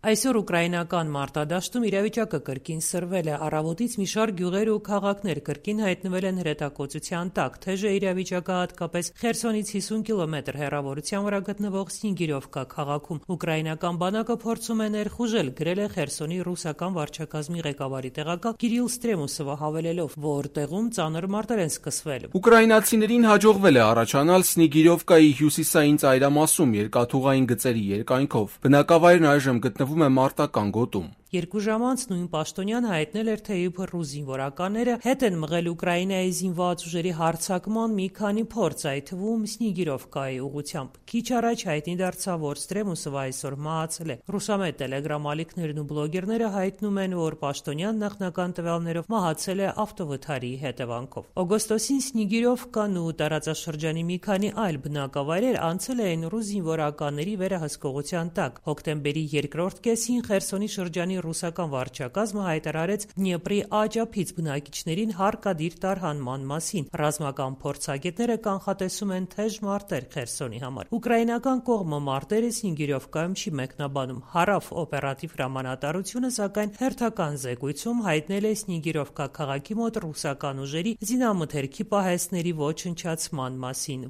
Այսօր ուկրաինական մարտադաշտում իրավիճակը կրկին սրվել է, առավոտից մի շարք գյուղեր ու քաղաքներ կրկին հայտնվել են հրետակոծության տակ, թեժ է իրավիճակը հատկապես Խերսոնից 50 կիլոմետր հեռավորության վրա գտնվող Սնիգիրովկա քաղաքում։ Ուկրաինական բանակը փորձում է ներխուժել, գրել է Խերսոնի ռուսական վարչակազմի ղեկավարի տեղակալ Կիրիլ Ստրեմուսովը, հավելելով, որ տեղում ծանր մարտեր են սկսվել։ Ուկրաինացիներին հաջողվել է առաջանալ Սնիգիրովկայի հյուսիսային ծայրամասում երկաթուղային գծերի երկայնքով։ Բնակավայրն այժմ գտնվում է մարտական գոտում։ 2 ժամ անց նույն պաշտոնյան հայտնել էր, թե իբր ռուս զինվորականները հետ են մղել Ուկրաինայի զինված ուժերի հարձակման մի քանի փորձ, այդ թվում Սնիգիրովկայի ուղղությամբ։ Քիչ առաջ հայտնի դարձավ, որ Ստրեմուսովը այսօր մահացել է։ Ռուսամետ տելեգրամ ալիքներն ու բլոգերները հայտնում են, որ պաշտոնյան նախնական տվյալներով մահացել է ավտովթարի հետևանքով։ Օգոստոսին Սնիգիրովկան ու տարածաշրջանի մի քանի այլ բնակավայրեր անցել էին ռուս զինվորականների վերահսկողության տակ։ Հոկտեմբերի երկրորդ կեսին Խերսոնի շրջանի ռուսական վարչակազմը հայտարարեց Դնեպրի աջափից բնակիչներին հարկադիր տարհանման մասին։ Ռազմական փորձագետները կանխատեսում են թեժ մարտեր Խերսոնի համար։ Ուկրաինական կողմը մարտերը Սնիգիրովկայում չի մեկնաբանում։ Հարավ օպերատիվ հրամանատարությունը, սակայն հերթական զեկույցում հայտնել է Սնիգիրովկա քաղաքի մոտ ռուսական ուժերի զինամթերքի պահեստների ոչնչացման մասին։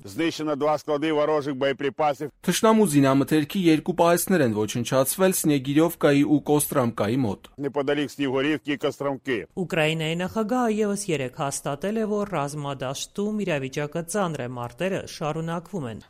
Թշնամու զինամթերքի 2 պահեստներ են ոչնչացվել Սնիգիրովկայի ու Կոստրամկայի մոտ։ Ուկրաինայի նախագահը ևս 3 հաստատել է, որ ռազմադաշտում իրավիճակը ծանր է, մարտերը շարունակվում են։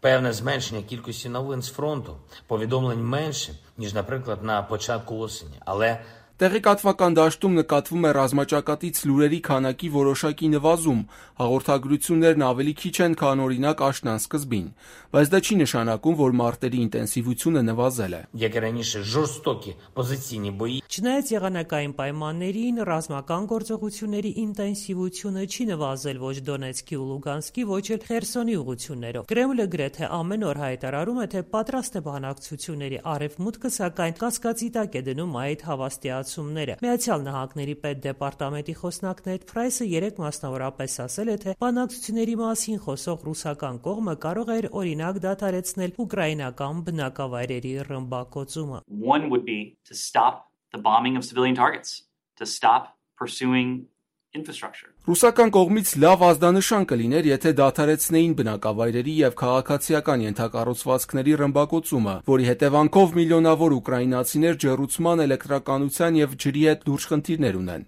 Певне зменшення кількості новин з фронту, повідомлень менше, ніж, наприклад, на початку осені, але Տեղեկատվական դաշտում նկատվում է ռազմաճակատից լուրերի քանակի որոշակի նվազում, հաղորդագրություններն ավելի քիչ են, քան օրինակ աշնան սկզբին, բայց դա չի նշանակում, որ մարտերի ինտենսիվությունը նվազել է։ як і раніше, жорстокі позиційні бої. Չնայած եղանակային պայմաններին, ռազմական գործողությունների ինտենսիվությունը չի նվազել ոչ Դոնեցկի ու Լուգանսկի, ոչ էլ Խերսոնի ուղղություններով։ Կրեմլը գրեթե ամեն օր հայտարարում է, թե պատրաստ է բանակցությունների, արևմուտքը սակայն կասկածի տակ է դնում այդ հավաստիացումները։ Միացյալ Նահանգների պետդեպարտամենտի խոսնակ Նեդ Փրայսը 3 մասնավորապես ասել է, թե բանակցությունների մասին խոսող ռուսական կողմը կարող էր օրինակ դադարեցնել ուկրաինական բնակավայրերի ռմբակոծումը։ One would be to stop the bombing of civilian targets, to stop pursuing infrastructure. Ռուսական կողմից լավ ազդանշան կլիներ, եթե դադարեցնեին բնակավայրերի եւ քաղաքացիական ենթակառուցվածքների ռմբակոծումը, որի հետևանքով միլիոնավոր ուկրաինացիներ ջեռուցման, էլեկտրականության եւ ջրի հետ լուրջ խնդիրներ ունեն։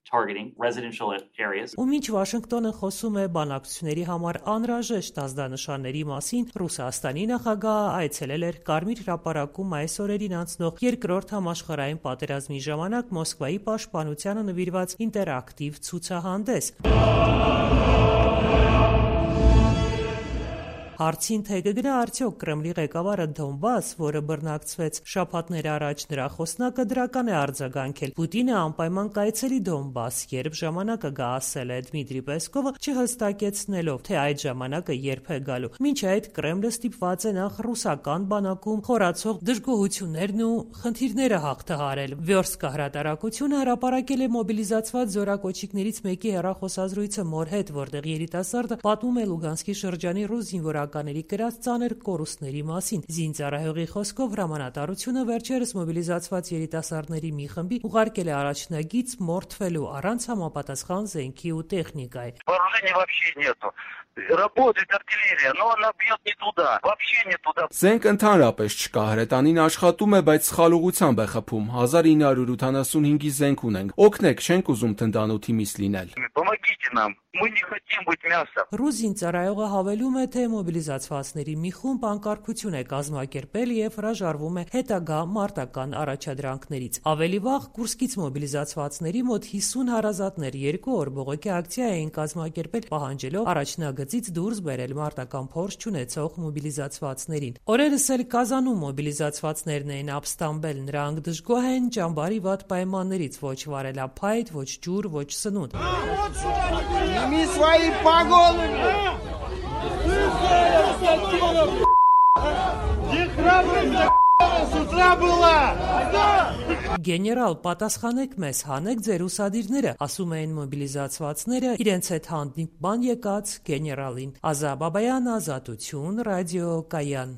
Ու մինչ Վաշինգտոնը խոսում է բանակցությունների համար անհրաժեշտ ազդանշանների մասին, Ռուսաստանի նախագահը այցելել էր Կարմիր հրապարակում այս օրերին անցնող երկրորդ համաշխարհային պատերազմի ժամանակ Մոսկվայի պաշտպանությանը նվիրված ինտերակտիվ ցուցահանդես։ Հարցին թե կգնա արդյոք Կրեմլի ղեկավարը Դոնբաս, որը բռնակցվեց շաբաթներ առաջ, նրա խոսնակը դրական է արձագանքել։ Պուտինը անպայման կայցելի Դոնբաս, երբ ժամանակը գա, ասել է Դմիտրի Պեսկովը, չհստակեցնելով, թե այդ ժամանակը երբ է գալու։ Մինչ այդ Կրեմլը ստիպված է նախ ռուսական բանակում խորացող դժգոհություններն ու խնդիրները հաղթահարել։ Վյորսկա հրատարակությունը հրապարակել է մոբիլիզացված զորակոչիկներից մեկի հեռախոսազրույցը մոր հետ, որտեղ երիտասարդը պատմում է Լուգանսկի շրջանի ռուս զինվորականների կրած ծանր կորուստների մասին։ Զինծառայողի խոսքով հրամանատարությունը վերջերս մոբիլիզացված երիտասարդների մի խմբի ուղարկել է առաջնագիծ մորթվելու առանց համապատասխան զենքի ու տեխնիկայի։ Работает артиллерия, но она бьет не туда, вообще не туда. Զենք ընդհանրապես չկա, հրետանին աշխատում է, բայց սխալ ուղղությամբ է խփում։ 1985-ի զենք ունենք։ Օգնեք, չենք ուզում թնդանոթի միս լինել։ Помогите нам. Мы не хотим быть мясом. Ռուս զինծառայողը հավելում է, թե մոբիլիզացվածների մի խումբ անկարգություն է կազմակերպել եւ հրաժարվում է հետագա մարտական առաջադրանքներից։ Ավելի վաղ Կուրսկից մոբիլիզացվածների մոտ 50 հարազատներ 2 օր բողոքի ակցիա էին կազմակերպել, պահանջելով առաջնագծից դուրս բերել մարտական փորձ չունեցող մոբիլիզացվածներին։ Օրերս էլ Կազանում մոբիլիզացվածներն էին ապստամբել, նրանք դժգոհ են ճամբարի վատ պայմաններից, ոչ վարելափայտ, ոչ ջուր, ոչ սնունդ։ Сними свои погоны! Где храбрость с утра была? Գեներալ, պատասխանեք մեզ, հանեք ձեր ուսադիրները, ասում էին մոբիլիզացվածները իրենց հետ հանդիպման եկած գեներալին։ Ազա Բաբայան, Ազատություն, ռադիո Կայան։